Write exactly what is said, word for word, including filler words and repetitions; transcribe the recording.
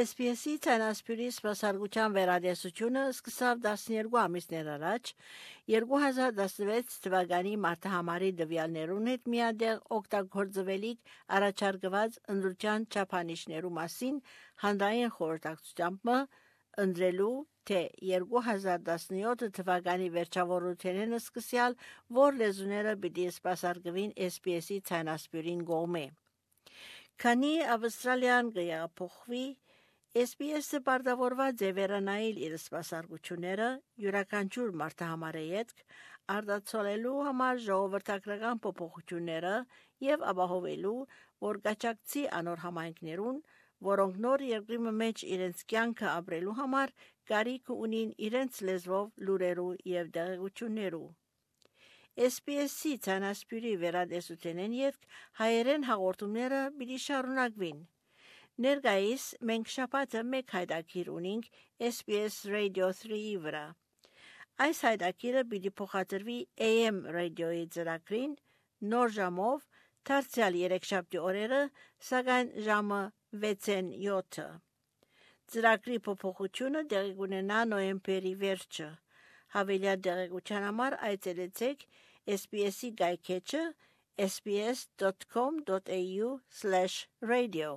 S B S-ի ցանասպյուրի սպասարկության վերադեսությունը սկսավ տասներկու ամիսներ առաջ երկու հազար տասնվեց թվականի մարտահամարի դվյալներուն հետ միադեղ օգտագործվելիք առաջարկված ընդրության չափանիշներու մասին հանդային խորհրդակցությամբ ընդրելու թե երկու հազար տասնյոթ թվականի վերջավորությունն սկսյալ որ լեզուները պիտի սպասարկվին S B S-ի ցանասպյուրին կողմէ։ Քանի Ավստրալիան կփոխվի S B S-ը պարտավորված է վերանայել իր սպասարկությունները յուրաքանչյուր մարտահամարի հետ արտացոլելու համար ժողովրդական փոփոխությունները եւ ապահովելու, որ կաջակցի անոր համայնքներուն, որոնք նոր երկրի մեջ իրենց կյանքը ապրելու համար կարիք ունին իրենց լեզվով լուրերու եւ տեղեկություններու։ S B S-ի ցանասպյուրի վերադեսությունեն ետք հայերեն հաղորդումները պիտի շարունակվին։ Ներկայիս մենք շաբաթը մեկ հայտագիր ունենք S B S Radio three-ի վրա։ Այս հայտագիրը պիտի փոխադրվի A M ռադիոյի ծրագրին նոր ժամով դարձյալ երեքշաբթի օրերը, սակայն ժամը վեցն յոթը։ Ծրագրի փոփոխությունը տեղի կունենա նոյեմբերի վերջը։ Հավելյալ տեղեկության համար այցելեցեք S B S-ի գայքեջը s b s dot com dot a u slash radio